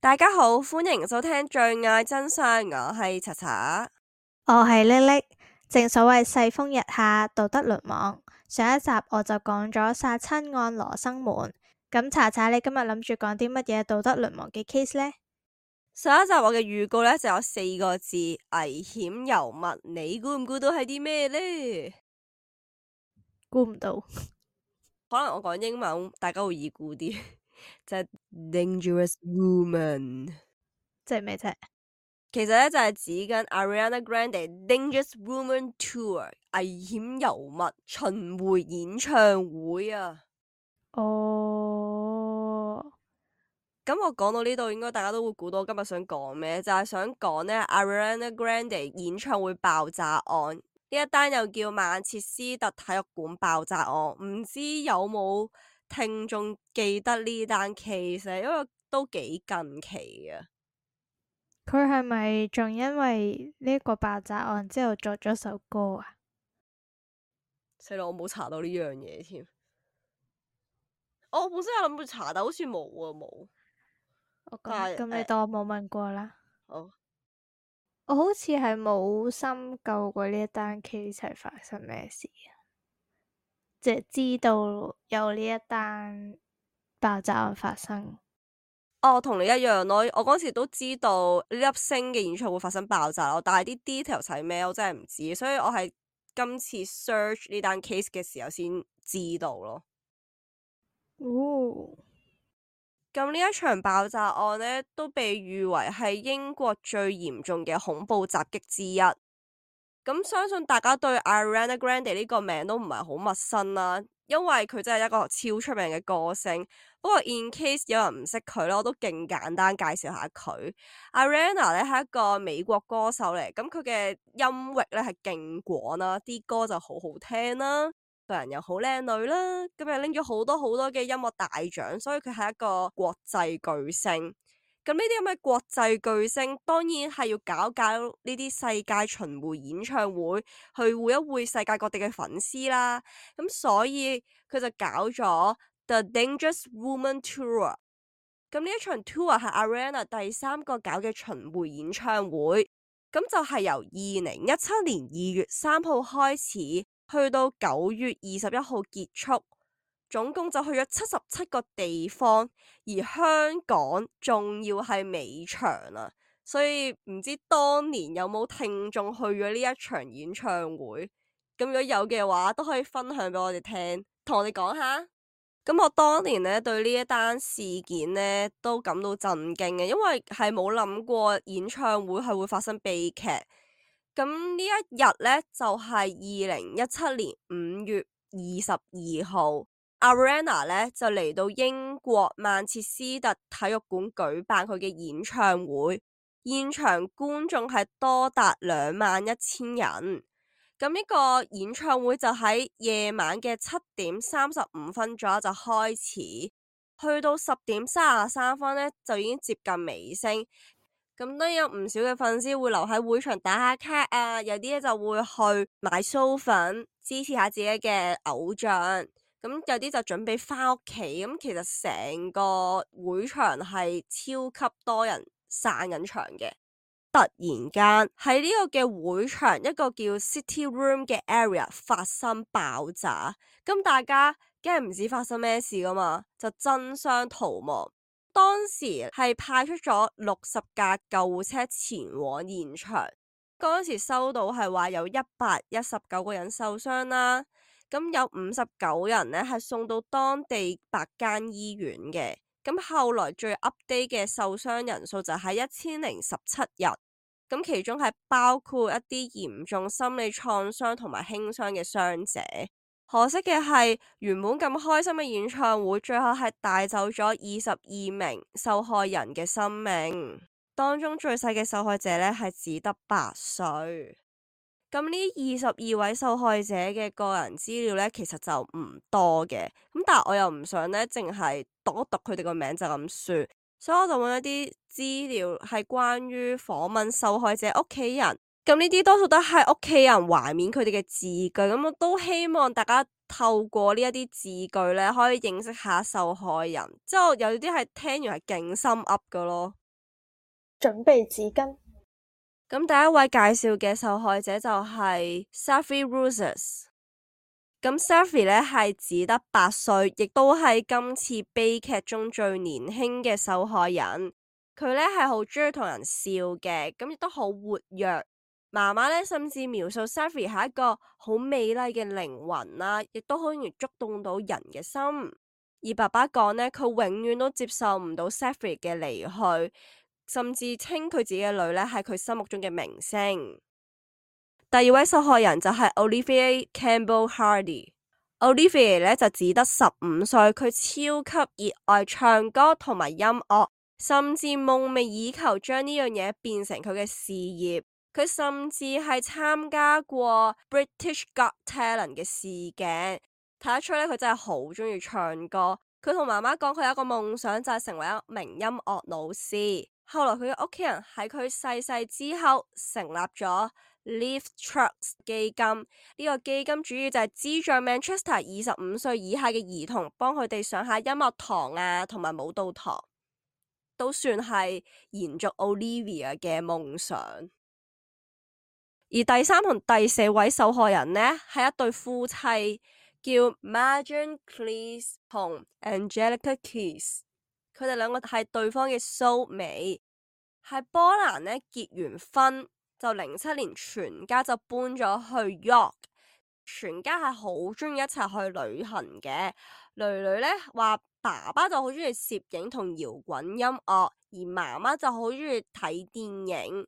大家好，歡迎收聽最愛真相，我係查查，我係叻叻。正所謂世風日下，道德淪亡。上一集我就講咗殺親案羅生門，咁查查你今日諗住講啲乜嘢道德淪亡嘅 case 呢？上一集我嘅預告呢就有4個字：危險尤物。你估唔估到係啲咩呢？估唔到。可能我講英文，大家會易估啲，就係 Dangerous Woman。即係咩啫？其實呢，就係指緊 Ariana Grande Dangerous Woman Tour 危險尤物巡迴演唱會啊！哦，咁我講到呢度，應該大家都會估到我今日想講咩，就係想講呢 Ariana Grande 演唱會爆炸案。呢一單又叫曼徹斯特體育館爆炸案，唔知有冇聽眾記得呢單 case，因為都幾近期啊。佢係咪仲因為呢個爆炸案之後作咗首歌啊？死啦，我冇查到呢樣嘢添。我本身有諗住查，但好似冇啊，冇。咁你當我冇問過啦。好，我好似係冇深究過呢一單 case 係發生咩事啊，即係知道有呢一單爆炸案發生。同你一樣咯。我嗰時都知道呢粒星嘅演唱會發生爆炸咯，但係啲 details 係咩，我真係唔知，所以我係今次 search 呢單 case 嘅時候先知道咯。哦，咁呢一場爆炸案呢，都被譽為係英國最嚴重嘅恐怖襲擊之一。咁相信大家對 Ariana Grande 呢個名都唔係好陌生啦，因為佢真係一個超出名嘅歌星。不過 in case 有人唔識佢咧，我都勁簡單介紹下佢。Ariana 咧係一個美國歌手嚟，咁佢嘅音域咧係勁廣啦，啲歌就好好聽啦，個人又好靚女啦，咁又拎咗好多好多嘅音樂大獎，所以佢係一個國際巨星。咁呢啲咁嘅國際巨星，當然係要搞呢啲世界巡迴演唱會，去會一會世界各地嘅粉絲啦。咁所以佢就搞咗 The Dangerous Woman Tour。咁呢一場 tour 係 Ariana 第3個搞嘅巡迴演唱會。咁就係由2017年2月3號開始，去到9月21號結束。總共就去咗77個地方，而香港仲要係尾場啊！所以唔知當年有冇聽眾去咗呢一場演唱會？咁如果有嘅話，都可以分享俾我哋聽，同我哋講下。咁我當年呢對呢一單事件呢都感到震驚嘅，因為係冇諗過演唱會係會發生悲劇。咁呢一日呢，就係2017年5月22號。Ariana 咧就嚟到英國曼徹斯特體育館舉辦佢嘅演唱會，現場觀眾係多達21,000人。咁呢個演唱會就喺夜晚嘅7:35左右就開始，去到10:33呢就已經接近尾聲。咁都有唔少嘅粉絲會留喺會場打下卡啊，有啲咧就會去買酥粉支持下自己嘅偶像。咁有啲就準備翻屋企，咁其實成個會場係超級多人散緊場嘅。突然間喺呢個嘅會場一個叫 City Room 嘅 area 發生爆炸，咁大家梗係唔知發生咩事噶嘛，就爭相逃亡。當時係派出咗60架救護車前往現場，嗰陣時收到係話有119個人受傷啦。咁有59人呢係送到當地8間醫院嘅，咁後來最 update 嘅受傷人數就係1017人，咁其中係包括一啲嚴重心理創傷同埋輕傷嘅傷者。可惜嘅係，原本咁開心嘅演唱會，最後係帶走咗22名受害人嘅生命，當中最細嘅受害者呢係只得8歲。咁呢22位受害者嘅個人資料呢，其實就唔多嘅，咁但係我又唔想呢淨係讀一讀佢哋個名就咁說，所以我就揾一啲資料係關於訪問受害者屋企人，咁呢啲多數都係屋企人懷緬佢哋嘅字句，咁我都希望大家透過呢一啲字句呢，可以認識下受害人，之後有啲係聽完係勁心噏㗎咯。準備紙巾。咁第一位介紹嘅受害者就係 Safi Roses。咁 Safi 呢係只得8歲，亦都係今次悲劇中最年輕嘅受害人。佢呢係好中意同人笑嘅，咁亦都好活躍。媽媽呢甚至描述 Safi 係一個好美麗嘅靈魂啦，亦都好容易觸動到人嘅心。而爸爸講呢，佢永遠都接受唔到 Safi 嘅離去，甚至稱佢自己嘅女呢係佢心目中嘅明星。第二位受害人就係 Olivia Campbell Hardy。Olivia 呢就只得15歲，佢超級熱愛唱歌同埋音樂，甚至夢寐以求將呢樣嘢變成佢嘅事業。佢甚至係參加過 British Got Talent 嘅試鏡，睇得出咧佢真係好中意唱歌。佢同媽媽講，佢有一個夢想就係成為一名音樂老師。後來佢嘅屋企人喺佢逝世之後成立咗 Live Trust 基金，呢個基金主要就係資助 Manchester 25歲以下嘅兒童，幫佢哋上下音樂堂啊，同埋舞蹈堂，都算係延續 Olivia 嘅夢想。而第3同第4位受害人呢，係一對夫妻，叫 Marjan Klis 同 Angelica Keys。佢哋兩個係對方嘅 soulmate，喺波蘭呢結完婚就07年全家就搬咗去 York， 全家係好中意一齊去旅行嘅。女女呢話爸爸就好中意攝影同搖滾音樂，而媽媽就好中意睇電影。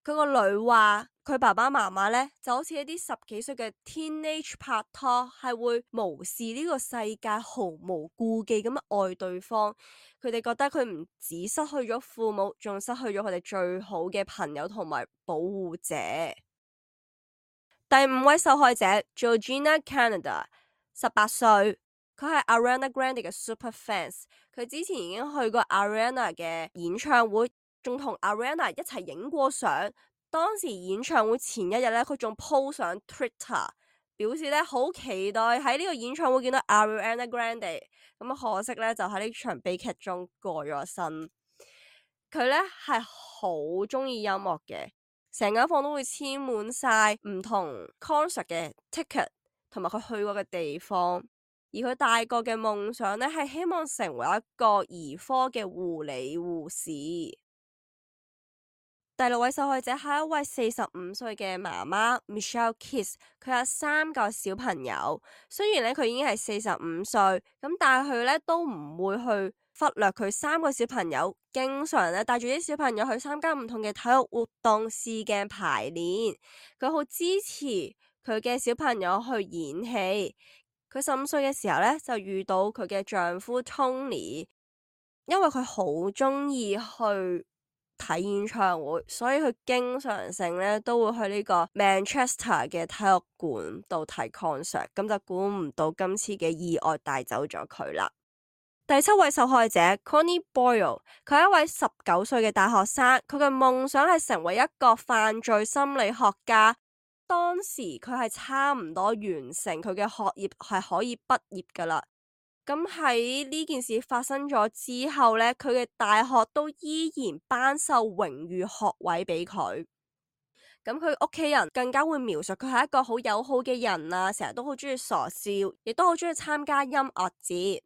佢個女話佢爸爸媽媽呢就好似一啲10幾歲嘅 teenage 拍拖，係會無視呢個世界，毫無顧忌咁愛對方。佢哋覺得佢唔止失去咗父母，仲失去咗佢哋最好嘅朋友同埋保護者。第5位受害者 Georgina Canada， 18歲，佢係 Ariana Grande 嘅 super fans。佢之前已經去過 Ariana 嘅演唱會，仲同 Ariana 一齊影過相。當時演唱會前一日呢，佢仲 po 上 Twitter， 表示呢好期待喺呢個演唱會見到 Ariana Grande。咁可惜呢，就喺呢場悲劇中過咗身。佢呢係好中意音樂嘅，成間房都會簽滿晒唔同 concert 嘅 ticket， 同埋佢去過嘅地方。而佢大個嘅夢想呢，係希望成為一個兒科嘅護理護士。第6位受害者係一位45歲嘅媽媽 Michelle Keys， 佢有3個小朋友。雖然咧佢已經係45歲，咁但係佢咧都唔會去忽略佢3個小朋友，經常咧帶住啲小朋友去參加唔同嘅體育活動、試鏡、排練。佢好支持佢嘅小朋友去演戲。佢15歲嘅時候咧就遇到佢嘅丈夫 Tony， 因為佢好中意去睇演唱會，所以佢經常性咧都會去呢個 Manchester 嘅體育館度睇 concert， 咁就估唔到今次嘅意外帶走咗佢啦。第7位受害者 Connie Boyle， 佢係一位19歲嘅大學生，佢嘅夢想係成為一個犯罪心理學家。當時佢係差唔多完成佢嘅學業，係可以畢業噶啦。咁喺呢件事發生咗之後呢，佢嘅大學都依然頒授榮譽學位俾佢。咁佢屋企人更加會描述佢係一個好友好嘅人啊，成日都好中意傻笑，亦都好中意參加音樂節。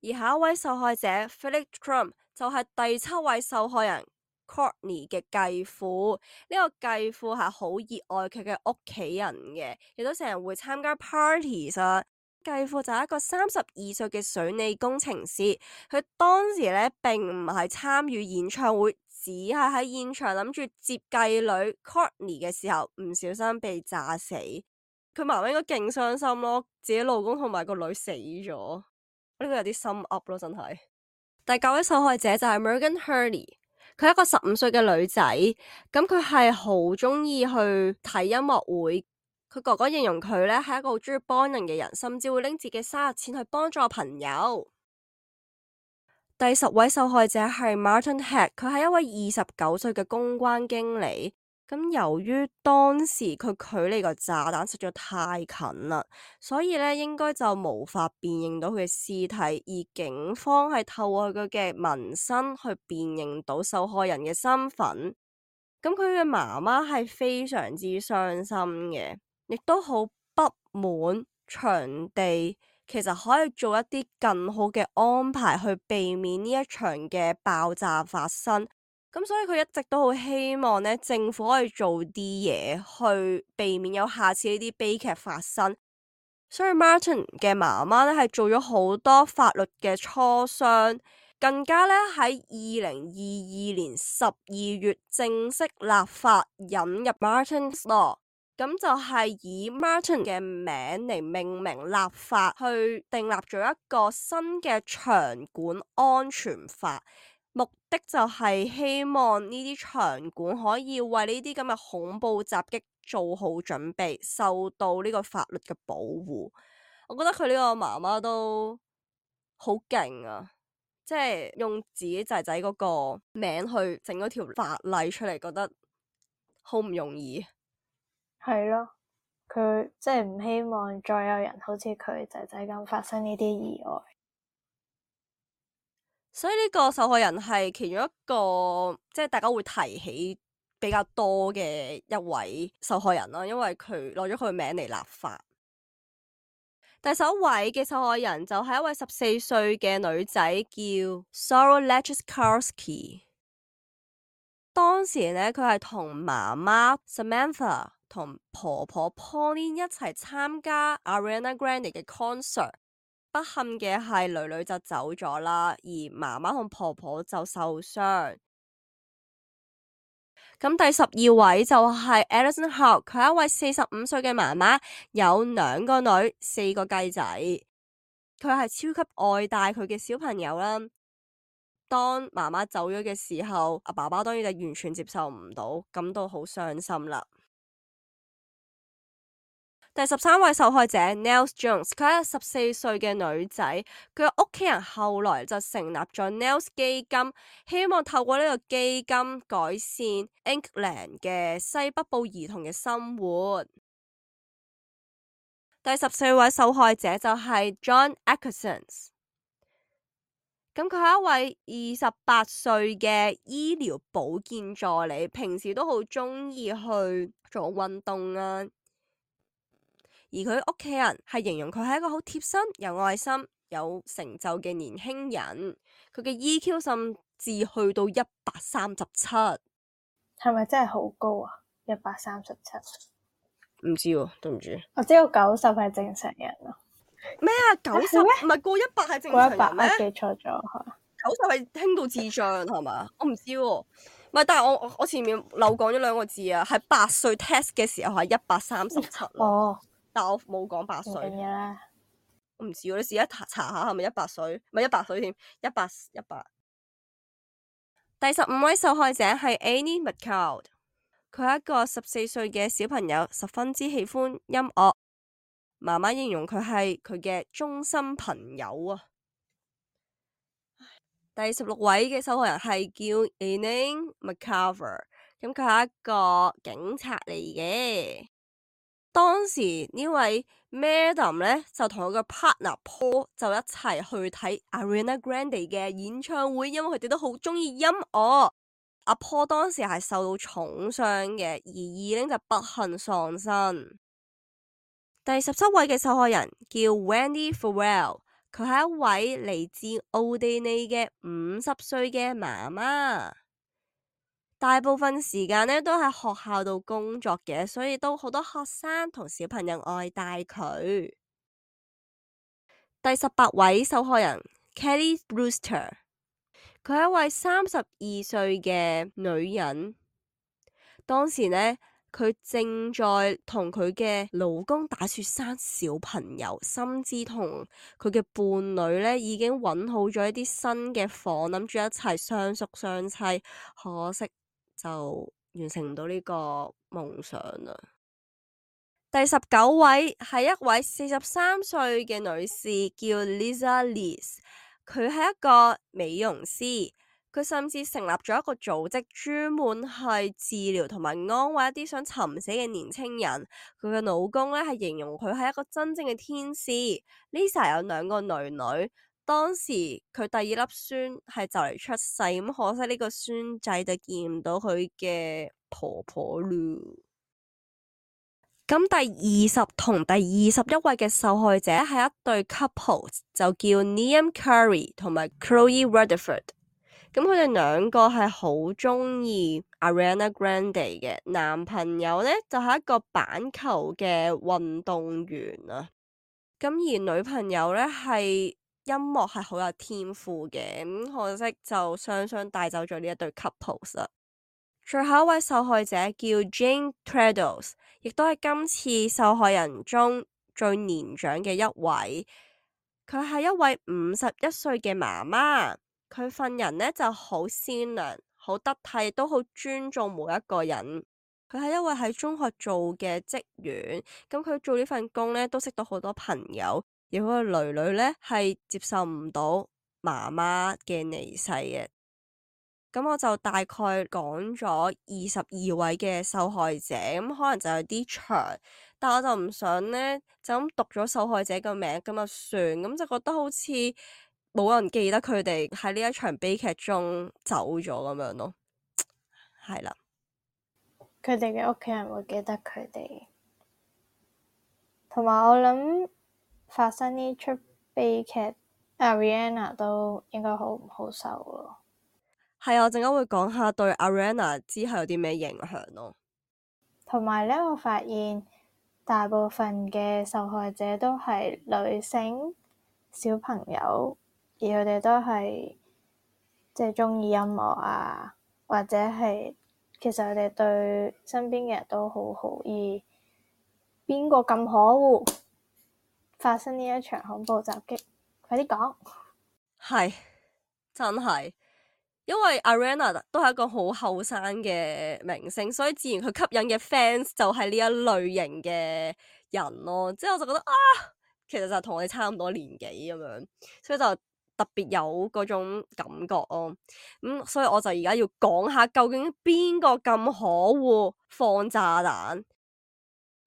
而下一位受害者 Philip Trump 就係第7位受害人 Courtney 嘅繼父。呢個繼父係好熱愛佢嘅屋企人嘅，亦都成日會參加 parties 啊。繼父就係一個32歲嘅水利工程師，佢當時咧並唔係參與演唱會，只係喺現場諗住接繼女 Courtney 嘅時候唔小心被炸死。佢媽媽應該勁傷心咯，自己老公同埋個女死咗，呢個有啲心噏咯，真係。第9位受害者就係 Megan Hurley， 佢係一個15歲嘅女仔，咁佢係好中意去睇音樂會。佢哥哥形容佢咧係一個好中意幫人嘅人，甚至會拎自己生日錢去幫助朋友。第10位受害者係 Martin Heck， 佢係一位29歲嘅公關經理。咁由於當時佢距離個炸彈實在太近啦，所以咧應該就無法辨認到佢嘅屍體，而警方係透過佢嘅紋身去辨認到受害人嘅身份。咁佢嘅媽媽係非常之傷心嘅，亦都好不滿場地其實可以做一啲更好嘅安排去避免呢一場嘅爆炸發生。咁所以佢一直都好希望呢政府可以做啲嘢去避免有下次呢啲悲劇發生。所以 Martin 嘅媽媽呢係做咗好多法律嘅磋商，更加呢喺2022年12月正式立法引入 Martin's Law， 咁就係以 Martin 嘅名嚟命名立法，去訂立咗一個新嘅場館安全法。目的就係希望呢啲場館可以為呢啲咁嘅恐怖襲擊做好準備，受到呢個法律嘅保護。我覺得佢呢個媽媽都好勁啊！即係用自己仔仔嗰個名去整嗰條法例出嚟，覺得好唔容易。係咯，佢即係唔希望再有人好似佢仔仔咁發生呢啲意外。所以呢個受害人係其中一個，即係大家會提起比較多嘅一位受害人啦，因為佢攞咗佢嘅名嚟立法。第11位嘅受害人就係一位14歲嘅女仔，叫 Sarah Lechkowski。當時呢，佢係同媽媽 Samantha 同婆婆 Pauline 一齊參加 Ariana Grande 嘅 concert。不幸嘅係女女就走咗啦，而媽媽同婆婆就受傷。咁第12位就係 Alison Howe， 佢係一位45歲嘅媽媽，有2個女，4個雞仔。佢係超級愛戴佢嘅小朋友啦。當媽媽走咗嘅時候，阿爸爸當然就完全接受唔到，感到好傷心啦。第13位受害者 Nels Jones， 佢係14歲嘅女仔，佢嘅屋企人後來就成立咗 Nels 基金，希望透過呢個基金改善 England 嘅西北部兒童嘅生活。第14位受害者就係 John Atkinson， 咁佢係一位28歲嘅醫療保健助理，平時都好中意去做運動啊。而佢屋企人係形容佢係一個好貼心、有愛心、有成就嘅年輕人。佢嘅 EQ 甚至去到137，係咪真係好高啊？137？唔知喎，對唔住。我知道90係正常人咯。咩啊？90唔係過100係正常人咩？我記錯咗90係輕到智障係嘛？我唔知喎。唔係，但係我前面漏講咗2個字啊，係8歲 test 嘅時候係137咯。哦。但我冇講8歲。唔緊要啦。我唔知喎，你試一查下係咪100歲？唔係100歲添，100。第15位受害者係 Annie McLeod， 佢係一個14歲嘅小朋友，十分之喜歡音樂。媽媽形容佢係佢嘅終身朋友啊。第16位嘅受害人係叫 Elaine McCarver， 咁佢係一個警察嚟嘅。當時呢位 Madam 呢，就同佢個 partner Paul 就一齊去睇 Ariana Grande 嘅演唱會，因為佢哋都好中意音樂。阿 Paul 當時係受到重傷嘅，而Elaine就不幸喪生。第17位嘅受害人叫 Wendy Farrell， 佢係一位嚟自奧地利嘅50歲嘅媽媽。大部分時間呢都喺學校度工作嘅，所以都好多學生同小朋友愛戴佢。第18位受害人 Kelly Brewster， 佢係一位32歲嘅女人。當時呢，佢正在同佢嘅老公打算生小朋友，甚至同佢嘅伴侶呢已經揾好咗一啲新嘅房，諗住一齊相宿相棲，可惜就完成唔到呢個夢想啦。第19位係一位43歲嘅女士，叫 Lisa Lees， 佢係一個美容師。佢甚至成立咗一個組織，專門係治療同埋安慰一啲想尋死嘅年青人。佢嘅老公咧係形容佢係一個真正嘅天使。Lisa 有2個女，當時佢第2粒孫係就嚟出世，咁可惜呢個孫仔就見唔到佢嘅婆婆咯。咁第20同第21位嘅受害者係一對 couple， 就叫 Liam Curry 同埋 Chloe Rutherford。咁佢哋2個係好鍾意 Ariana Grande 嘅，男朋友呢就係一個板球嘅運動員啊。咁而女朋友呢係音樂係好有天賦嘅，咁可惜就雙雙帶走咗呢一對 couples 啦。最後一位受害者叫 Jane Treadles， 亦都係今次受害人中最年長嘅一位。佢係一位51歲嘅媽媽。佢份人呢就好善良、好得體，都好尊重每一個人。佢係一位喺中學做嘅職員，咁佢做呢份工呢都識到好多朋友，而佢個女女呢係接受唔到媽媽嘅離世嘅。咁我就大概講咗22位嘅受害者，咁可能就有啲長，但我就唔想呢就咁讀咗受害者個名咁就算，咁就覺得好似冇人記得佢哋喺呢一場悲劇中走咗咁樣咯，係啦。佢哋嘅屋企人會記得佢哋，同埋我諗發生呢出悲劇 ，Ariana 都應該好唔好受咯。係啊，我陣間會講下對 Ariana 之後有啲咩影響咯。同埋咧，我發現大部分嘅受害者都係女性小朋友，而佢哋都係即係鍾意音樂啊，或者係其實佢哋對身邊嘅人都好好。而邊個咁可惡發生呢一場恐怖襲擊？快啲講！係真係。因為 Ariana 都係一個好後生嘅明星，所以自然佢吸引嘅 fans 就係呢一類型嘅人咯。即係我就覺得啊，其實就同我哋差唔多年紀咁樣，所以就特別有嗰種感覺咯。所以我就而家要講下究竟邊個咁可惡放炸彈。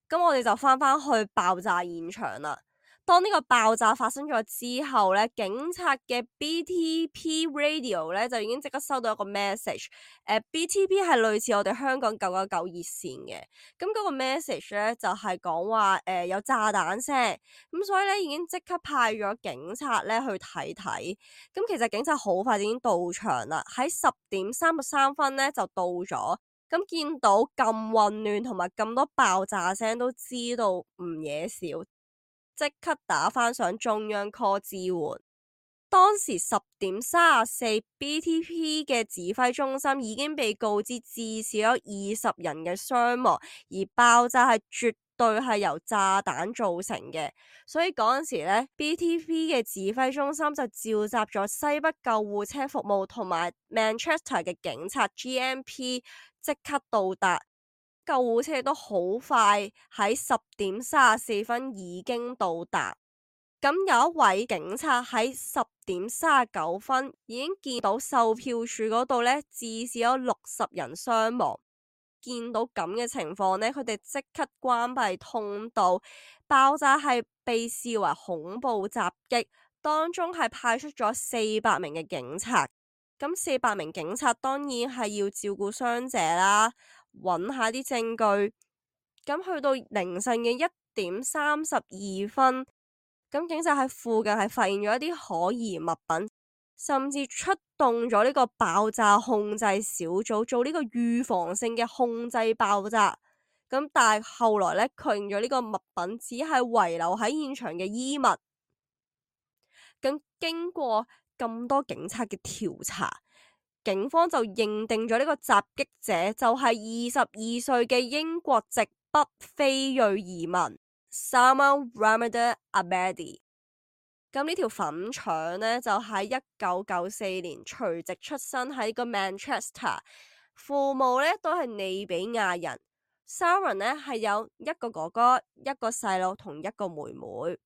咁我哋就翻去爆炸現場啦。當呢個爆炸發生咗之後呢，警察嘅 BTP Radio 呢就已經即刻收到一個 message。BTP 係類似我哋香港999熱線嘅。咁嗰個 message 呢就係講話有炸彈聲，咁所以呢已經即刻派咗警察呢去睇睇。咁其實警察好快已經到場啦，喺10:33呢就到咗。咁見到咁混亂同埋咁多爆炸聲，都知道唔嘢少。即刻打返上中央 call 支援。當時10:34，BTP 嘅指揮中心已經被告知至少有20人嘅傷亡，而爆炸係絕對係由炸彈造成嘅。所以嗰陣時呢 BTP 嘅指揮中心就召集咗西北救護車服務同埋 Manchester 嘅警察 GMP 即刻到達。救護車都好快喺10:34已經到達。咁有一位警察喺10:39已經見到售票處嗰度呢，至少有60人傷亡。見到咁嘅情況呢，佢哋即刻關閉通道。爆炸係被視為恐怖襲擊，當中係派出咗400名嘅警察。咁400名警察當然係要照顧傷者啦，揾下啲證據。咁去到凌晨嘅1:32，咁警察喺附近係發現咗一啲可疑物品，甚至出動咗呢個爆炸控制小組做呢個預防性嘅控制爆炸。咁但係後來呢，確認咗呢個物品只係遺留喺現場嘅衣物。咁經過咁多警察嘅調查，警方就認定咗呢個襲擊者就係22歲嘅英國籍北非裔移民 Salman Ramadan Abedi。咁呢條粉腸呢，就喺1994年隨即出生喺呢個 Manchester， 父母呢都係利比亞人。Salman 呢係有一個哥哥、一個細佬同一個妹妹。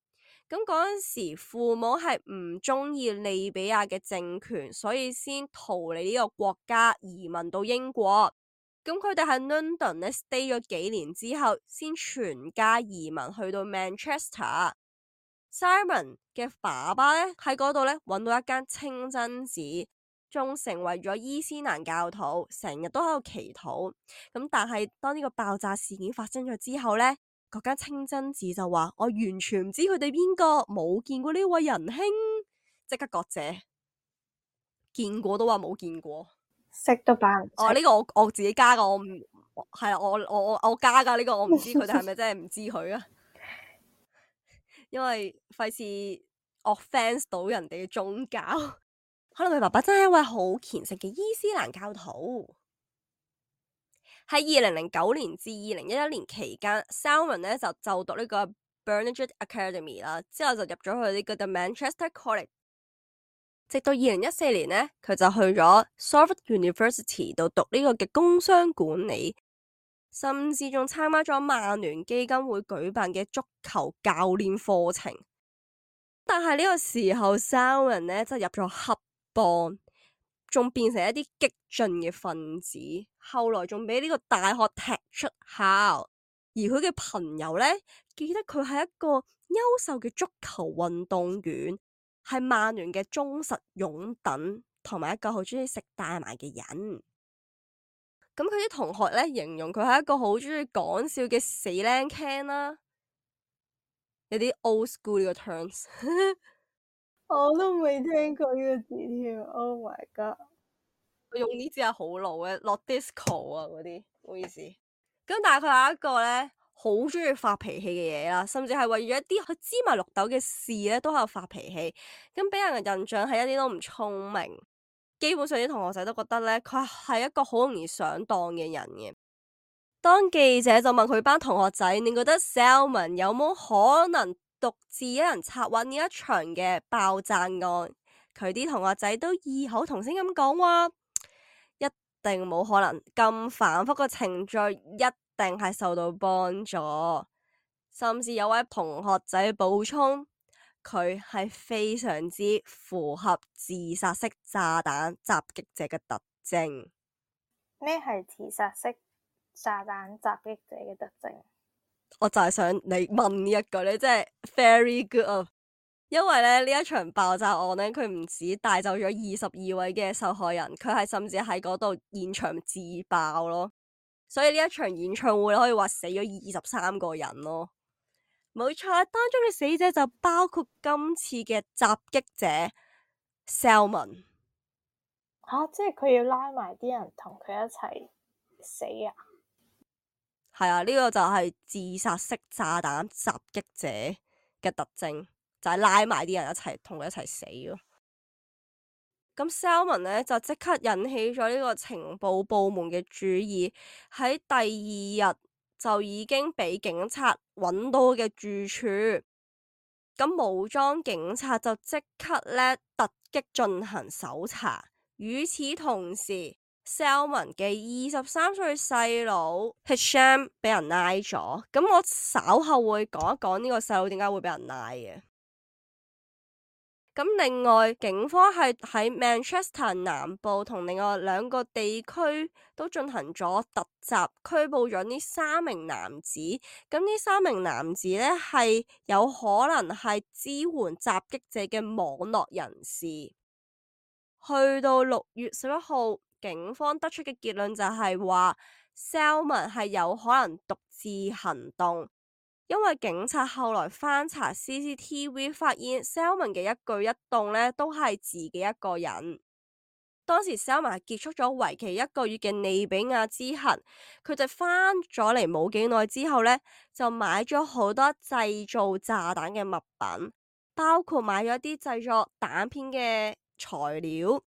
咁嗰陣時父母係唔中意利比亞嘅政權，所以先逃離呢個國家，移民到英國。咁佢哋喺 London 咧 stay 咗幾年之後，先全家移民去到 Manchester。Simon 嘅爸爸咧喺嗰度咧揾到一間清真寺，仲成為咗伊斯蘭教徒，成日都喺度祈禱。咁但係當呢個爆炸事件發生咗之後咧，嗰間清真寺就話：我完全唔知佢哋邊個，冇見過呢位仁兄，即刻割謝。見過都話冇見過，識都扮唔識。哦，呢個我自己加噶，我唔係啊，我加噶呢個，我唔知佢哋係咪真係唔知佢啊。因為費事 offence 到人哋嘅宗教，可能佢爸爸真係一位好虔誠嘅伊斯蘭教徒。喺2009年至2011年期間 Salman 咧就讀呢個 Burnage Academy 啦，之後就入咗去呢個 The Manchester College， 直到2014年呢，佢就去咗 Salford University 度讀呢個嘅工商管理，甚至仲參加咗曼聯基金會舉辦嘅足球教練課程。但係呢個時候 Salman 呢就入咗黑幫，仲變成一啲激進嘅分子，後來仲俾呢個大學踢出校。而佢嘅朋友呢，記得佢係一個優秀嘅足球運動員，係曼聯嘅忠實擁躉，同埋一個好中意食大麻嘅人。咁佢啲同學呢，形容佢係一個好中意講笑嘅死靚 can 啦，有啲 old school 呢個 terms。我都未聽過呢個字添。Oh my god！我用呢支係好老嘅，落 disco 啊嗰啲，唔好意思。咁但係佢係一個咧好中意發脾氣嘅嘢啦，甚至係為咗一啲佢芝麻綠豆嘅事咧都喺度發脾氣。咁俾人嘅印象係一啲都唔聰明，基本上啲同學仔都覺得咧佢係一個好容易上當嘅人嘅。當記者就問佢班同學仔：你覺得 Salman 有冇可能獨自一人策劃呢一場嘅爆炸案？佢啲同學仔都異口同聲咁講話：一定冇可能，咁繁複嘅程序一定係受到幫助。甚至有位同學仔補充，佢係非常之符合自殺式炸彈襲擊者嘅特徵。咩係自殺式炸彈襲擊者嘅特徵？我就係想你問呢一句，你真係 very good 啊！因為咧呢一場爆炸案咧，佢唔止帶走咗22位嘅受害人，佢係甚至喺嗰度現場自爆咯。所以呢一場演唱會可以話死咗23個人咯。冇錯，當中嘅死者就包括今次嘅襲擊者 Salman。即係佢要拉埋啲人同佢一齊死啊？係啊，呢個就係自殺式炸彈襲擊者嘅特徵，就係拉埋啲人一齊同佢一齊死咯。咁 Salman 呢，就即刻引起咗呢個情報部門嘅注意，喺第二日就已經俾警察揾到嘅住處。咁武裝警察就即刻呢突擊進行搜查。與此同時，Salman 嘅23歲細佬 Hisham 俾人拉咗。咁我稍後會講一講呢個細佬點解會俾人拉嘅。咁另外，警方係喺 Manchester 南部同另外2個地區都進行咗突襲，拘捕咗呢3名男子。咁呢3名男子呢，係有可能係支援襲擊者嘅網絡人士。去到6月11號，警方得出嘅結論就係話 Salman 係有可能獨自行動。因為警察後來翻查 CCTV， 發現 Salman 嘅一舉一動呢都係自己一個人。當時 Salman 結束咗為期1個月嘅利比亞之行，佢就翻咗嚟冇幾耐之後呢，就買咗好多製造炸彈嘅物品，包括買咗一啲製作彈片嘅材料。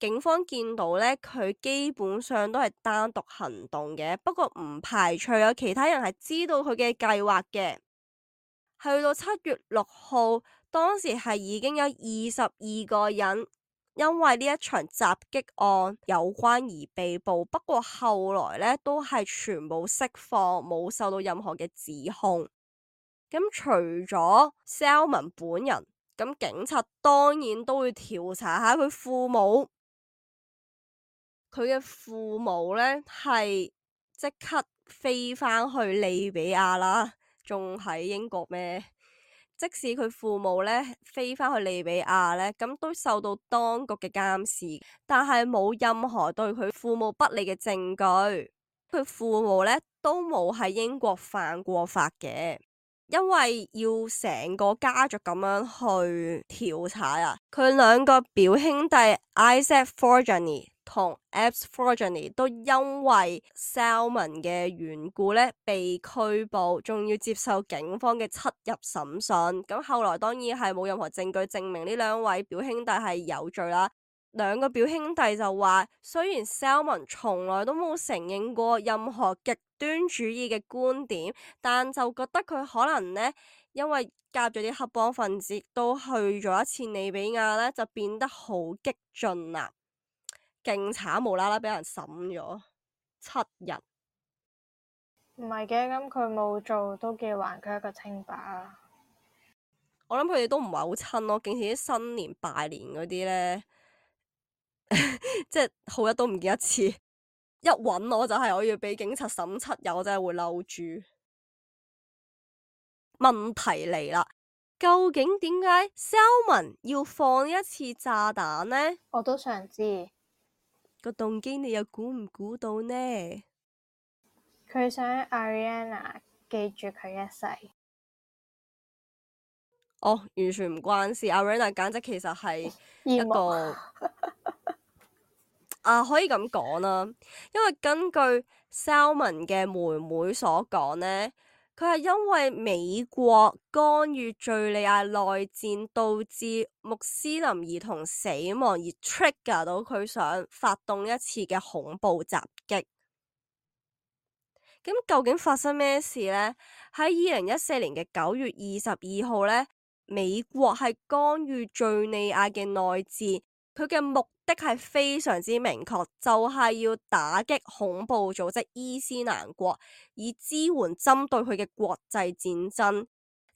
警方見到呢，佢基本上都係單獨行動嘅，不過唔排除有其他人係知道佢嘅計劃嘅。去到7月6號，當時係已經有22個人因為呢一場襲擊案有關而被捕，不過後來呢都係全部釋放，冇受到任何嘅指控。咁除咗 Salmon 本人，咁警察當然都會調查下佢父母。佢嘅父母呢係即刻飛返去利比亞啦，仲喺英國咩？即使佢父母呢飛返去利比亞呢，咁都受到當局嘅監視，但係冇任何對佢父母不利嘅證據。佢父母呢都冇喺英國犯過法嘅。因為要成個家族咁樣去調查啊，佢兩個表兄弟 Isaac Forjani 同 Abs Forjani 都因為 Salmon 嘅緣故呢被拘捕，仲要接受警方嘅7日審訊。咁後來當然係冇任何證據證明呢兩位表兄弟係有罪啦。兩個表兄弟就話，雖然 Salmon 從來都冇承認過任何極端主義嘅觀點，但就覺得佢可能呢，因為加入咗啲黑幫分子，都去咗一次利比亞呢，就變得好激進啦，勁慘，無啦啦俾人審咗7日。唔係嘅，咁佢冇做都叫還佢一個清白啊！我諗佢哋都唔係好親咯，竟然啲新年拜年嗰啲呢，即係好日都唔見一次，一揾我就係我要俾警察審7日，我真係會嬲住。問題嚟啦，究竟點解 Salmon 要放一次炸彈呢？我都想知個動機，你又估唔估到呢？佢想 Ariana 記住佢一世。哦，完全唔關事。Ariana 簡直其實係一個可以咁講啦，因為根據 Salmon 嘅妹妹所講呢，佢係因為美國干預敘利亞內戰，導致穆斯林兒童死亡而 trigger 到佢想發動一次嘅恐怖襲擊。咁究竟發生咩事呢？喺2014年嘅9月22號呢，美國係干預敘利亞嘅內戰，佢嘅目的係非常之明確，就係要打擊恐怖組織伊斯蘭國，以支援針對佢嘅國際戰爭。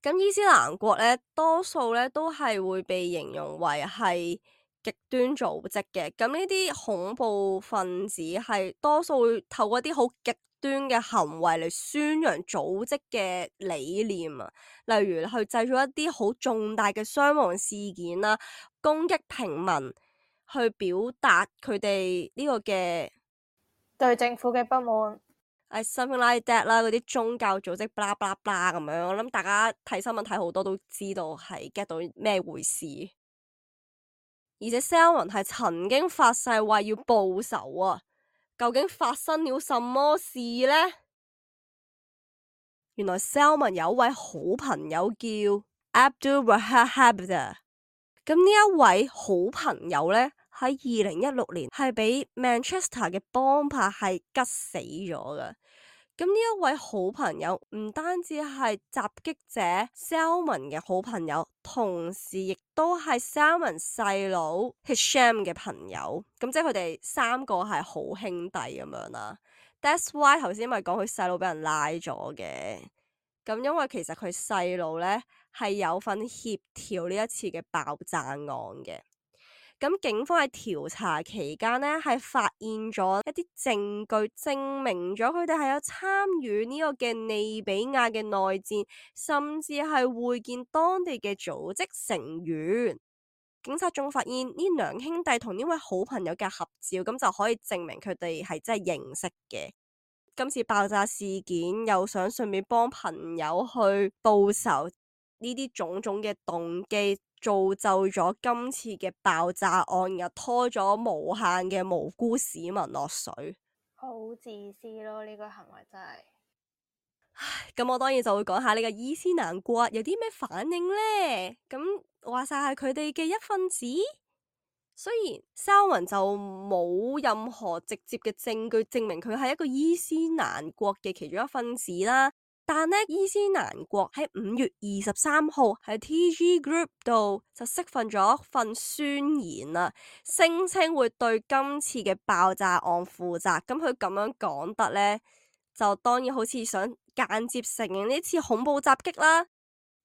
咁伊斯蘭國呢，多數呢都係會被形容為係極端組織嘅。咁呢啲恐怖分子係多數會透過一啲好極端嘅行為嚟宣揚組織嘅理念啊，例如去製造一啲好重大嘅傷亡事件啦，攻擊平民，去表達佢哋呢個嘅對政府嘅不滿。something like that 啦，嗰啲宗教組織blah blah blah咁樣，我諗大家睇新聞睇好多都知道係 get 到咩回事。而且 Salmon 係曾經發誓話要報仇啊！究竟發生了什麼事呢？原來 Salmon 有一位好朋友叫 Abdul Wahab Habda， 咁呢一位好朋友呢，喺2016年係俾 Manchester 嘅幫派係吉死咗㗎。咁呢一位好朋友唔單止係襲擊者 Salmon 嘅好朋友，同時亦都係 Salmon 細佬 Hisham 嘅朋友。咁即係佢哋3個係好兄弟咁樣啦。That's why 頭先咪講佢細佬俾人拉咗嘅。咁因為其實佢細佬呢係有份協調呢一次嘅爆炸案嘅。咁警方喺調查期間呢，係發現咗一啲證據，證明咗佢哋係有參與呢個嘅利比亞嘅內戰，甚至係會見當地嘅組織成員。警察仲發現呢兩兄弟同呢位好朋友嘅合照，咁就可以證明佢哋係真係認識嘅。今次爆炸事件又想順便幫朋友去報仇，呢啲種種嘅動機造就咗今次嘅爆炸案，又拖咗無限嘅無辜市民落水。好自私咯，呢個行為真係。咁我當然就會講下呢個伊斯蘭國有啲咩反應呢？咁話晒係佢哋嘅一份子。雖然 Salmon 就冇任何直接嘅證據證明佢係一個伊斯蘭國嘅其中一份子啦，但呢伊斯蘭國喺5月23號喺 TG Group 度就釋放咗一份宣言啦，聲稱會對今次嘅爆炸案負責。咁佢咁樣講得呢，就當然好似想間接承認呢次恐怖襲擊啦。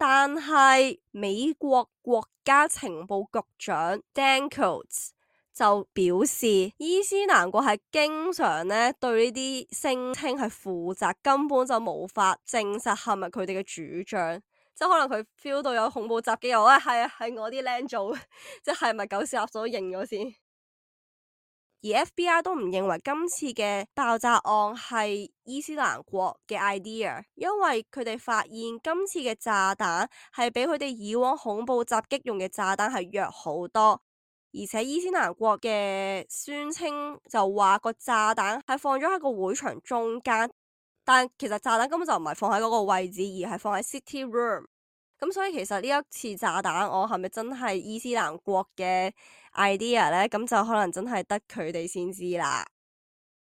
但係美國國家情報局長 Dan Coats 就表示，伊斯蘭國係經常咧對呢啲聲稱係負責，根本就無法證實係咪佢哋嘅主張。即係可能佢 feel 到有恐怖襲擊，又話係啊，係我啲僆做，即係咪狗屎垃圾都認咗先。而 FBI 都唔認為今次嘅爆炸案係伊斯蘭國嘅 idea， 因為佢哋發現今次嘅炸彈係比佢哋以往恐怖襲擊用嘅炸彈係弱好多，而且伊斯蘭國嘅宣稱就話個炸彈係放咗喺個會場中間，但其實炸彈根本就唔係放喺嗰個位置，而係放喺 City Room。咁所以其實呢一次炸彈案係咪真係伊斯蘭國嘅 idea 呢？咁就可能真係得佢哋先知啦。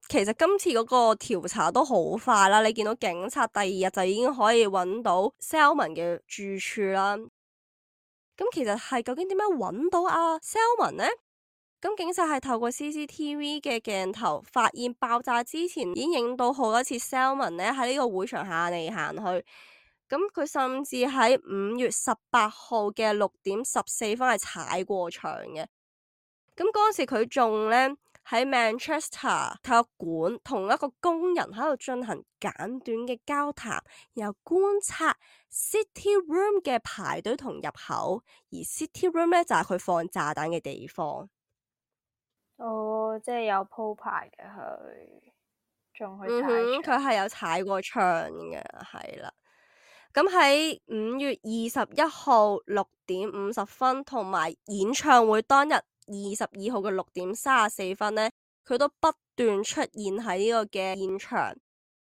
其實今次嗰個調查都好快啦，你見到警察第二日就已經可以揾到 Salman 嘅住處啦。咁其實係究竟點樣揾到阿 Salman 呢？咁警察係透過 CCTV 嘅鏡頭發現爆炸之前已經影到好多次 Salman 咧喺呢個會場行嚟行去。咁佢甚至喺5月18號嘅6:14係踩過場嘅。咁嗰時佢仲咧喺 Manchester 體育館同一個工人喺度進行簡短嘅交談，然後觀察 City Room 嘅排隊同入口，而 City Room 咧就係佢放炸彈嘅地方。哦，即係有鋪排嘅佢，仲去踩佢係有踩過場嘅，係啦。咁喺5月21號6:50同埋演唱會當日22號嘅6:34呢，佢都不斷出現喺呢個嘅現場。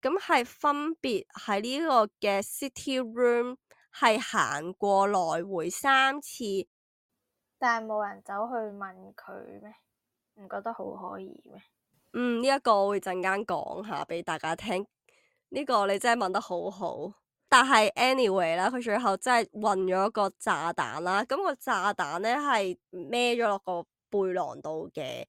咁係分別喺呢個嘅 City Room 係行過來回3次，但係冇人走去問佢咩？唔覺得好可疑咩？呢一個我會陣間講下俾大家聽。呢個你真係問得好好。但係 anyway 啦，佢最後真係運咗個炸彈啦。咁個炸彈咧係孭咗落個背囊度嘅。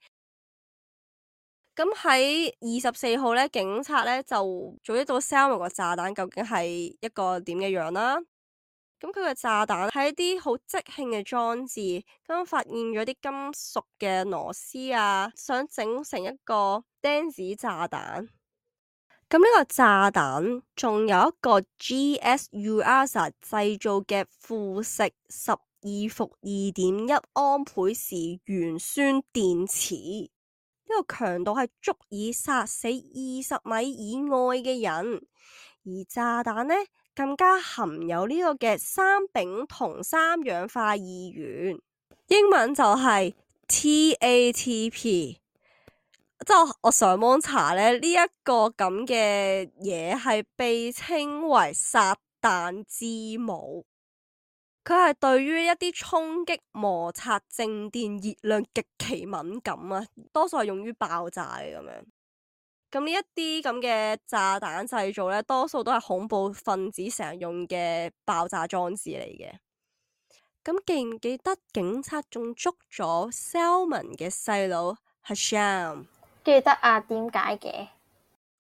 咁喺24號咧，警察咧就做一到 Salman 個炸彈究竟係一個點嘅樣啦。咁佢嘅炸彈係一啲好即興嘅裝置，咁發現咗啲金屬嘅螺絲啊，想整成一個釘子炸彈。咁呢個炸彈仲有一個 GS-UASA 製造嘅富食12伏2.1安培時鉛酸電池，呢個強度係足以殺死20米以外嘅人，而炸彈呢更加含有呢個嘅3丙酮3氧化二元，英文就係 TATP。即係我上網查咧，呢一個咁嘅嘢係被稱為撒旦之母。佢係對於一啲衝擊、摩擦、靜電、熱量極其敏感啊，多數係用於爆炸嘅咁樣。咁呢一啲咁嘅炸彈製造咧，多數都係恐怖分子成日用嘅爆炸裝置嚟嘅。咁記唔記得警察仲捉咗 Salman 嘅細佬 Hasham？記得啊，點解嘅？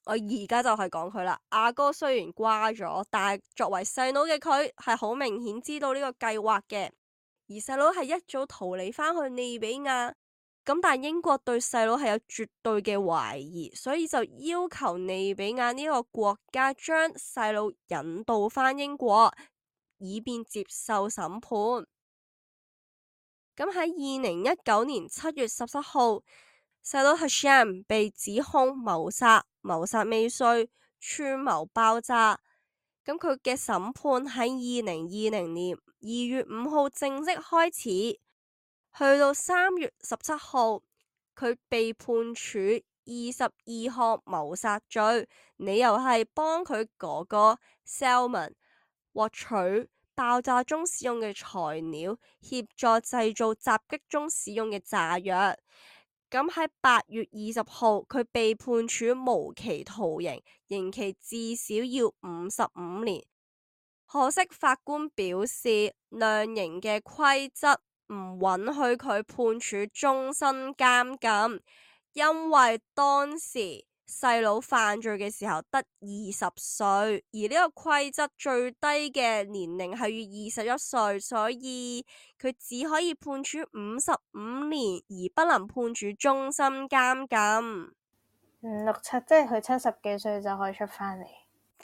我而家就係講佢啦。阿哥雖然瓜咗，但係作為細佬嘅佢係好明顯知道呢個計劃嘅。而細佬係一早逃離返去利比亞，咁但英國對細佬係有絕對嘅懷疑，所以就要求利比亞呢個國家將細佬引渡返英國，以便接受審判。咁喺2019年7月17號。細佬 Hasham 被指控謀殺未遂、串謀爆炸，咁佢嘅審判喺2020年2月5號正式開始，去到3月17號，佢被判處22項謀殺罪，理由係幫佢哥哥 Salman 獲取爆炸中使用嘅材料，協助製造襲擊中使用嘅炸藥。咁喺8月20號，佢被判處無期徒刑，刑期至少要55年。可惜法官表示，量刑嘅規則唔允許佢判處終身監禁，因為當時細佬犯罪嘅時候得20歲，而呢個規則最低嘅年齡係要21歲，所以佢只可以判處55年，而不能判處終身監禁。 567，即係佢70幾歲就可以出返嚟。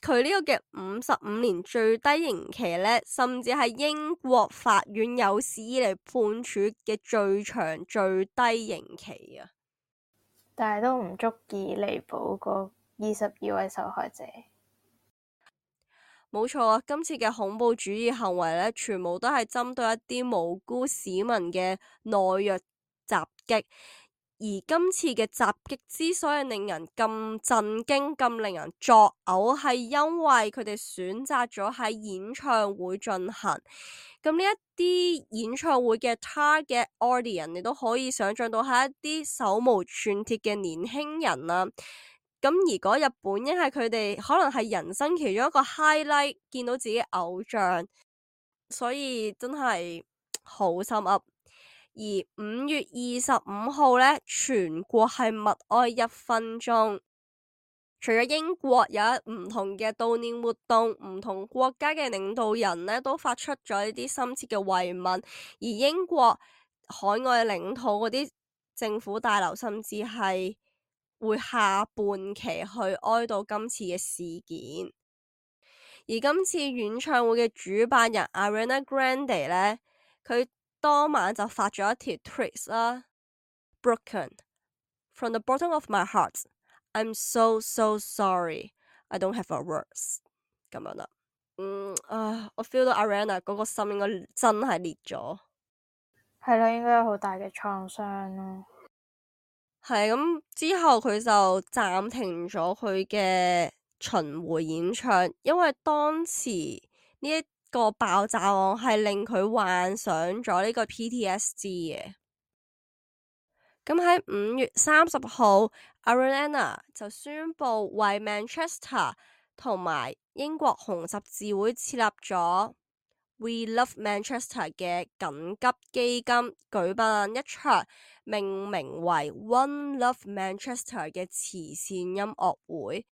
佢呢個嘅55年最低刑期呢，甚至係英國法院有史以嚟判處嘅最長最低刑期啊！但係都唔足以彌補嗰22位受害者。冇錯啊！今次嘅恐怖主義行為呢，全部都係針對一啲無辜市民嘅懦弱襲擊。而今次嘅襲擊之所以令人咁震驚、咁令人作嘔，係因為佢哋選擇咗喺演唱會進行。咁呢一啲演唱會嘅 target audience，你都可以想象到係一啲手無寸鐵嘅年輕人啦。咁而嗰日本應係佢哋可能係人生其中一個 highlight，見到自己偶像，所以真係好心噏。而5月25號呢，全國係默哀1分鐘。除咗英國有唔同嘅悼念活動，唔同國家嘅領導人呢都發出咗呢啲深切嘅慰問。而英國海外領土嗰啲政府大樓甚至係會下半旗去哀悼今次嘅事件。而今次演唱會嘅主辦人 Ariana Grande 呢，佢當晚就發咗一條 tweet 啦 ，Broken from the bottom of my heart, I'm so sorry, I don't have a words 咁樣啦。我 feel 到 Ariana 嗰個心應該真係裂咗。係咯，應該有好大嘅創傷咯。係咁之後佢就暫停咗佢嘅巡迴演唱，因為當時呢一個爆炸案係令佢患上咗呢個 PTSD 嘅。咁喺5月30號 Ariana 就宣布為 Manchester 同埋英國紅十字會設立咗 We Love Manchester 嘅緊急基金，舉辦一場命名為 One Love Manchester 嘅慈善音樂會。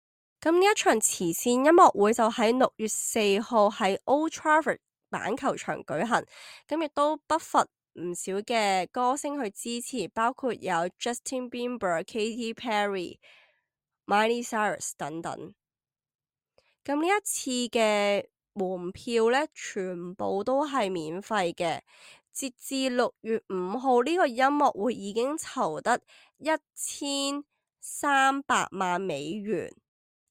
咁呢一場慈善音樂會就喺6月4號喺 Old Trafford 板球場舉行，咁亦都不乏唔少嘅歌星去支持，包括有 Justin Bieber、Katy Perry、Miley Cyrus 等等。咁呢一次嘅門票呢，全部都係免費嘅。截至6月5號，呢個音樂會已經籌得1300萬美元。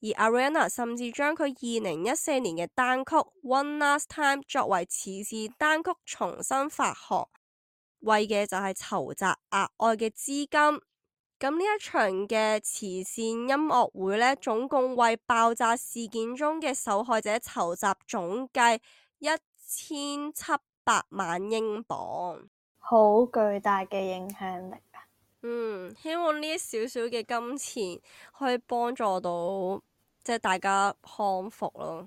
而 Ariana 甚至將佢2014年嘅單曲 One Last Time 作為慈善單曲重新發行，為嘅就係籌集額外嘅資金。咁呢一場嘅慈善音樂會呢，總共為爆炸事件中嘅受害者籌集總計1700萬英鎊，好巨大嘅影響力啊！希望呢少少嘅金錢可以幫助到即係大家康復咯。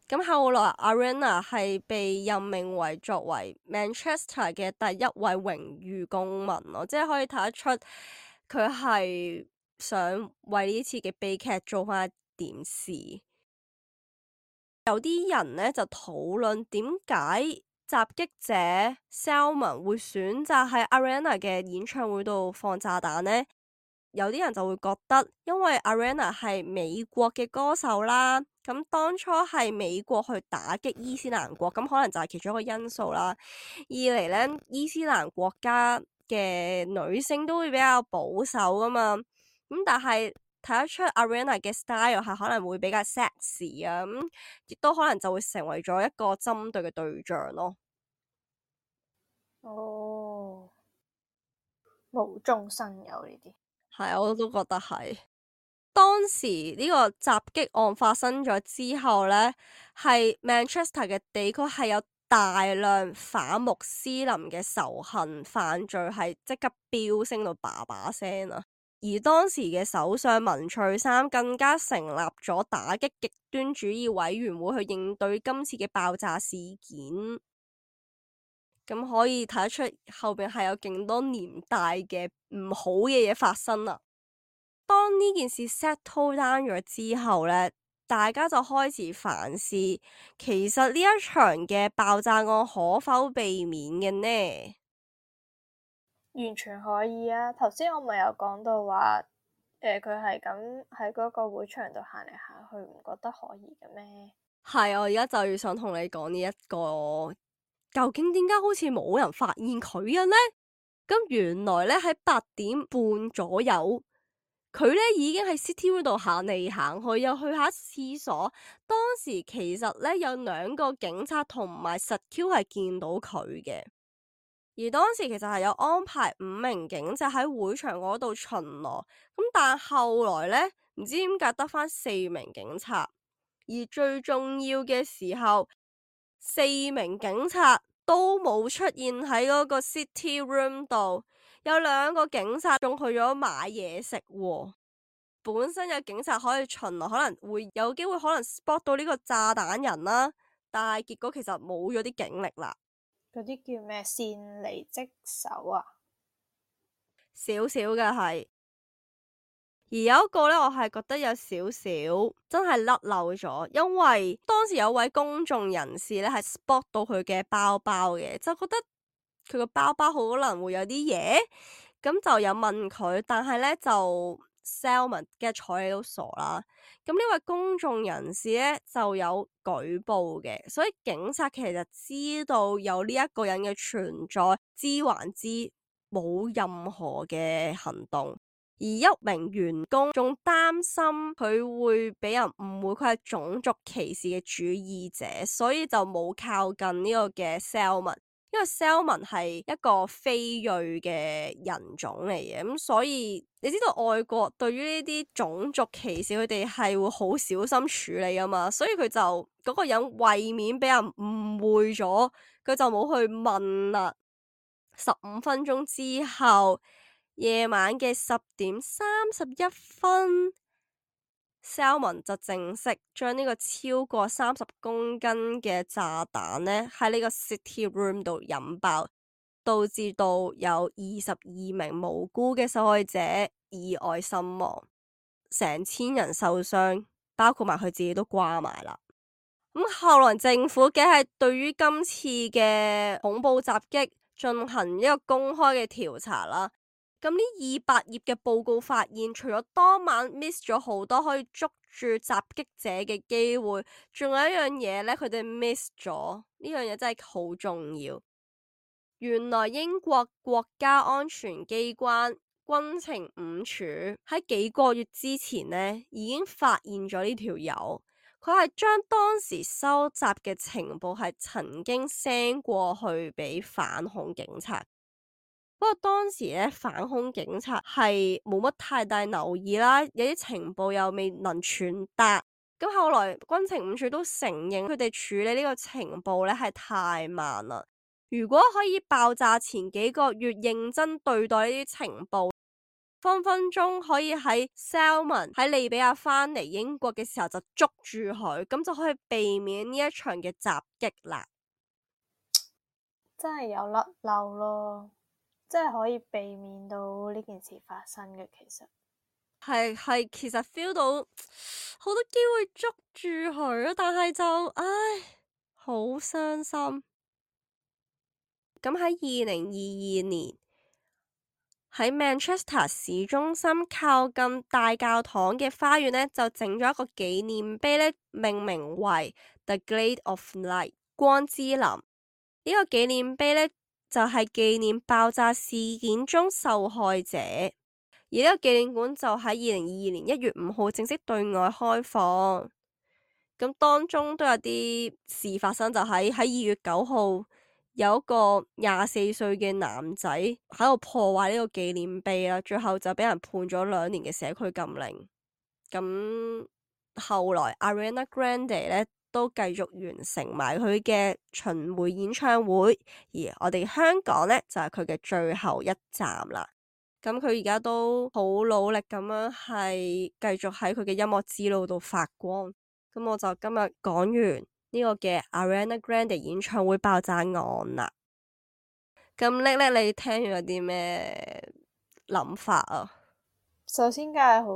咁後來 Ariana 係被任命為作為 Manchester 嘅第一位榮譽公民咯，即係可以睇得出佢係想為呢次嘅悲劇做翻一點事。有啲人呢就討論點解襲擊者 Salman 會選擇喺 Ariana 嘅演唱會度放炸彈呢？有啲人就會覺得，因為 Ariana 係美國嘅歌手啦，咁當初係美國去打擊伊斯蘭國，咁可能就係其中一個因素啦。二嚟呢，伊斯蘭國家嘅女性都會比較保守噶嘛，咁但係睇得出 Ariana 嘅 style 係可能會比較 sexy 啊，咁亦都可能就會成為咗一個針對嘅對象咯。無中生有呢啲。係，我都覺得係。當時呢個襲擊案發生咗之後呢，係 Manchester 嘅地區係有大量反穆斯林嘅仇恨犯罪，係即刻飆升到叭叭聲啊！而當時嘅首相文翠珊更加成立咗打擊極端主義委員會去應對今次嘅爆炸事件。咁可以睇得出後邊係有勁多年代嘅唔好嘅嘢發生啦。當呢件事 settle down 咗之後呢，大家就開始反思，其實呢一場嘅爆炸案可否避免嘅呢？完全可以啊！頭先我咪有講到話，佢係咁喺嗰個會場度行嚟行去，唔覺得可疑嘅咩？係，我而家就要想同你講呢一個，究竟點解好似冇人發現佢嘅呢？咁原來咧喺8點半左右，佢咧已經喺 City Room 度行嚟行去，又去下廁所。當時其實咧有2個警察同埋實 Q 係見到佢嘅。而當時其實係有安排5名警察喺會場嗰度巡邏，咁但後來呢，唔知點解得返4名警察，而最重要嘅時候，4名警察都冇出現喺嗰個 City Room 度，有2個警察仲去咗買嘢食喎。本身有警察可以巡邏，可能會有機會可能 spot 到呢個炸彈人啦，但係結果其實冇咗啲警力啦。嗰啲叫咩？擅離職守啊？少少嘅係，而有一個呢，我係覺得有少少真係甩漏咗，因為當時有位公眾人士呢係 spot 到佢嘅包包嘅，就覺得佢個包包可能會有啲嘢，咁就有問佢，但係呢就 Salmon 嘅睬你都傻啦。咁呢位公眾人士呢就有舉報嘅，所以警察其實知道有呢一個人嘅存在，知還知，冇任何嘅行動。而一名員工仲擔心佢會俾人誤會佢係種族歧視嘅主義者，所以就冇靠近呢個嘅 Salmon。因為 Salmon 係一個非裔嘅人種嚟嘅，咁所以你知道外國對於呢啲種族歧視，佢哋係會好小心處理噶嘛，所以佢就嗰個人為免俾人誤會咗，佢就冇去問啦。15分鐘之後，夜晚嘅10:31 Salmon 就正式將呢個超過30公斤嘅炸彈呢喺呢個 City Room 度引爆，導致到有22名無辜嘅受害者意外身亡，成千人受傷，包括埋佢自己都掛埋啦。咁後來政府嘅係對於今次嘅恐怖襲擊進行一個公開嘅調查啦。咁呢200頁嘅報告發現，除咗當晚 miss 咗好多可以捉住襲擊者嘅機會，仲有一樣嘢呢，佢哋 miss 咗，呢樣嘢真係好重要。原來英國國家安全機關軍情5處喺幾個月之前呢已經發現咗呢條友，佢係將當時收集嘅情報係曾經 send 過去俾反恐警察。不過當時咧，反恐警察係冇乜太大留意啦，有啲情報又未能傳達。咁後來軍情5處都承認，佢哋處理呢個情報咧係太慢啦。如果可以爆炸前幾個月認真對待呢啲情報，分分鐘可以喺 Salmon 喺利比亞返嚟英國嘅時候就捉住佢，咁就可以避免呢一場嘅襲擊啦。真係有甩漏咯。即係可以避免到呢件事發生嘅，其實係，其實 feel 到好多機會捉住佢，但係就好傷心。咁喺2022年喺 Manchester 市中心靠近大教堂嘅花園呢，就整咗一個紀念碑呢，命名為 The Glade of Light 光之林。呢個紀念碑呢，就係紀念爆炸事件中受害者，而呢個紀念館就喺2022年1月5號正式對外開放。咁當中都有啲事發生，就喺2月9號有一個24歲嘅男仔喺度破壞呢個紀念碑啦，最後就俾人判咗2年嘅社區禁令。咁後來 Ariana Grande 呢都繼續完成埋佢嘅巡迴演唱會，而我哋香港呢，就係佢嘅最後一站啦。咁佢而家都好努力咁樣係繼續喺佢嘅音樂之路度發光。咁我就今日講完呢個嘅 Ariana Grande 演唱會爆炸案啦。咁叻叻，你聽完有啲咩諗法啊？首先梗係好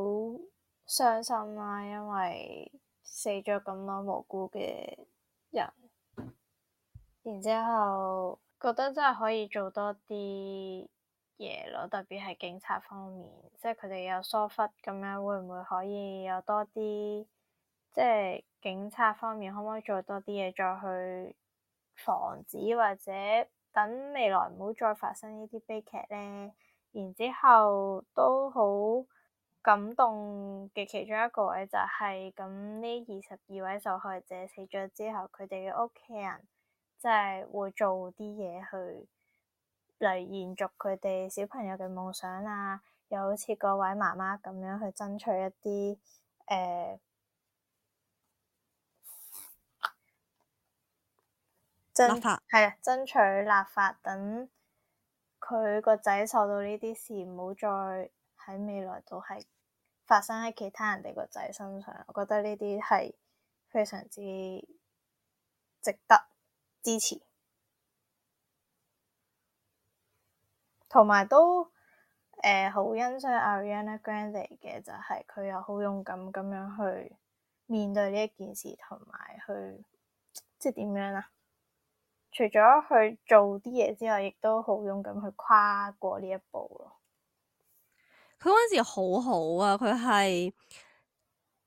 傷心啦，因為死咗咁多無辜嘅人，然之後覺得真係可以做多啲嘢咯，特別係警察方面，即係佢哋有疏忽咁樣，會唔會可以有多啲？即係警察方面可唔可以做多啲嘢，再去防止或者等未來唔好再發生呢啲悲劇咧？然之後都好感動嘅其中一個位就係咁，呢22位受害者死咗之後，佢哋嘅屋企人即係會做啲嘢去嚟延續佢哋小朋友嘅夢想啊，又好似嗰位媽媽咁樣去爭取一啲立法係啊，爭取立法，等佢個仔受到呢啲事唔好再喺未來都係發生喺其他人哋個仔身上。我覺得呢啲係非常之值得支持，同埋都好欣賞 Ariana Grande 嘅就係佢又好勇敢咁樣去面對呢一件事，同埋去即係點樣啊？除咗去做啲嘢之外，亦都好勇敢去跨過呢一步咯。佢嗰陣時好好啊，佢係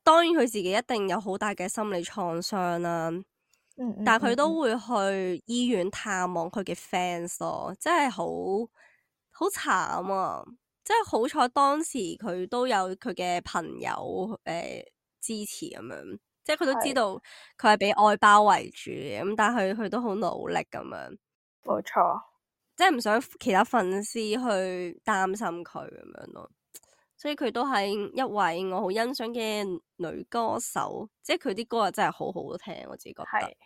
當然佢自己一定有好大嘅心理創傷啦，但係佢都會去醫院探望佢嘅 fans 咯，真係好慘啊！即係好彩當時佢都有佢嘅朋友支持咁樣，即係佢都知道佢係俾愛包圍住嘅，咁但係佢都好努力咁樣。冇錯，即係唔想其他粉絲去擔心佢咁樣咯，所以佢都係一位我好欣賞嘅女歌手，即係佢啲歌啊真係好好聽，我自己覺得。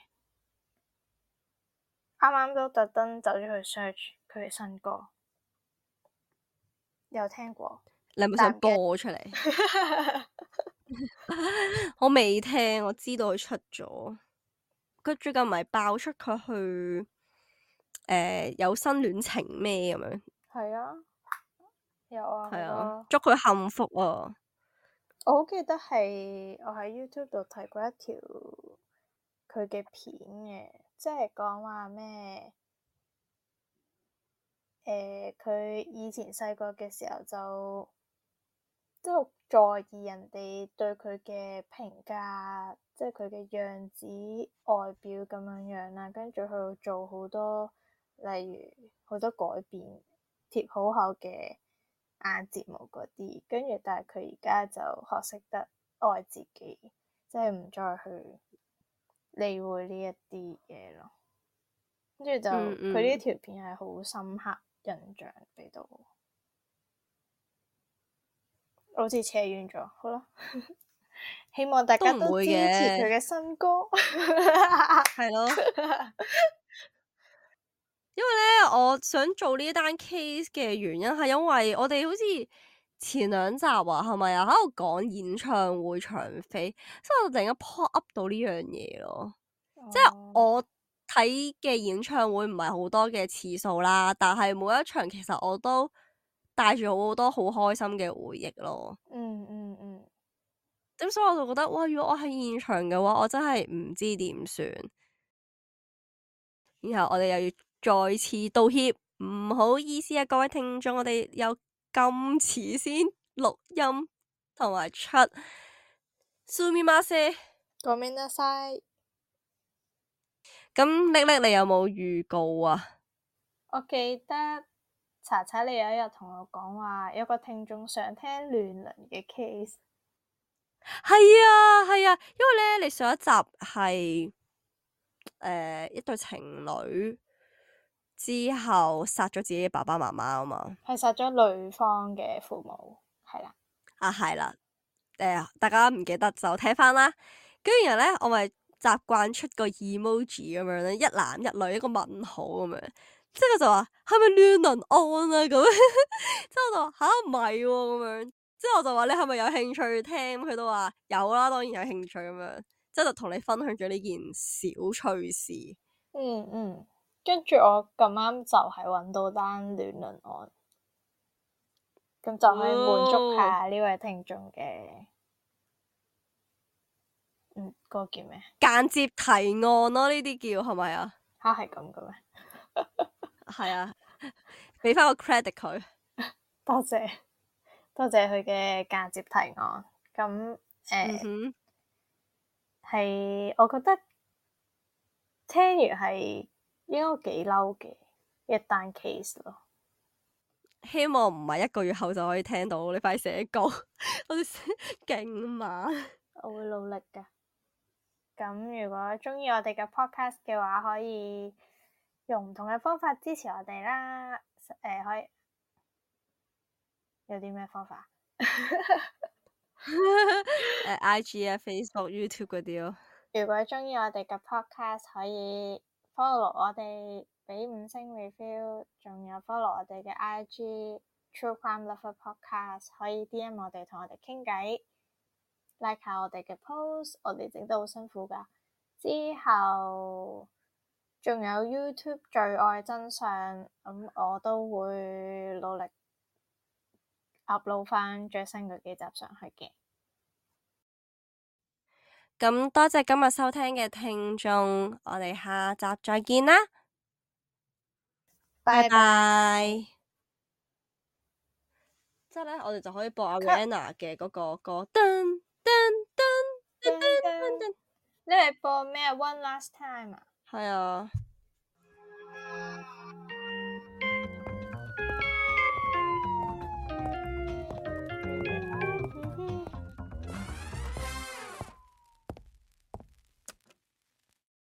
啱啱都特登走咗去 search 佢嘅新歌，有聽過？你係咪想播出嚟？我未聽，我知道佢出咗。佢最近咪爆出佢去有新戀情咩咁樣？係啊，有啊，係啊，祝佢幸福啊！我好記得係我喺 YouTube 度睇過一條佢嘅片嘅，即係講話咩？佢以前細個嘅時候就即係在意人哋對佢嘅評價，即係佢嘅樣子、外表咁樣樣啦，跟住佢做好多，例如好多改變，貼好厚嘅眼睫毛嗰啲，跟住但係佢而家就學識得愛自己，即係唔再去理會呢一啲嘢咯。跟住就佢呢條片係好深刻印象俾到我。好似扯遠咗，好啦，希望大家都支持佢嘅新歌，係咯。因為咧，我想做呢單 case 嘅原因係因為我哋好似前2集啊，係咪啊喺度講演唱會場飛，所以我突然間 pop up 到呢樣嘢咯。即係我睇嘅演唱會唔係好多嘅次數啦，但係每一場其實我都帶住好多好開心嘅回憶咯。咁所以我就覺得，哇！如果我喺現場嘅話，我真係唔知點算。然後我哋又要再次道歉，唔好意思啊，各位聽眾，我哋有咁遲先錄音同埋出。すみません。ごめんなさい。咁叻叻，你有冇預告啊？我記得查查你有一日同我講話，有個聽眾想聽亂倫嘅 case。係啊，係啊，因為咧，你上一集係一對情侶之後殺咗自己嘅爸爸媽媽啊嘛，係殺咗女方嘅父母，係啦。啊係啦，大家唔記得就睇翻啦。跟住然後咧，我咪習慣出個 emoji 咁樣咧，一男一女一個問號咁樣，即係佢就話係咪亂倫案啊咁樣，之後我就話吓唔係喎咁樣，之後我就話你係咪有興趣聽？佢都話有啦，當然有興趣咁樣，即係就同你分享咗呢件小趣事。跟住我咁啱就係揾到單亂倫案，咁就可以滿足下呢位聽眾嘅，嗰個叫咩？間接提案咯，呢啲叫係咪啊？嚇係咁嘅咩？係啊，俾翻個 credit 佢。多謝佢嘅間接提案。咁係，我覺得聽完係應該幾嬲嘅一單 case 咯。希望唔係1個月後就可以聽到，你快寫稿，我哋勁慢。我會努力㗎。咁如果中意我哋嘅 podcast 嘅話，可以用唔同嘅方法支持我哋啦。可以有啲咩方法？IG 啊、Facebook、YouTube 嗰啲咯。如果中意我哋嘅 podcast，可以 follow 我哋，俾5星 review，仲有 follow 我哋嘅 IG True Crime Lover Podcast，可以 DM 我哋同我哋傾偈，like 下我哋嘅 post，我哋整得好辛苦㗎。之後仲有 YouTube 罪愛真相，咁我都會努力 upload 翻最新嘅幾集上去嘅。咁多謝今日收聽嘅聽眾，我哋下集再見啦，拜拜。之後咧，我哋就可以播 Ariana 嘅嗰個歌，噔噔噔噔噔噔。你係播咩？One Last Time 啊？係啊。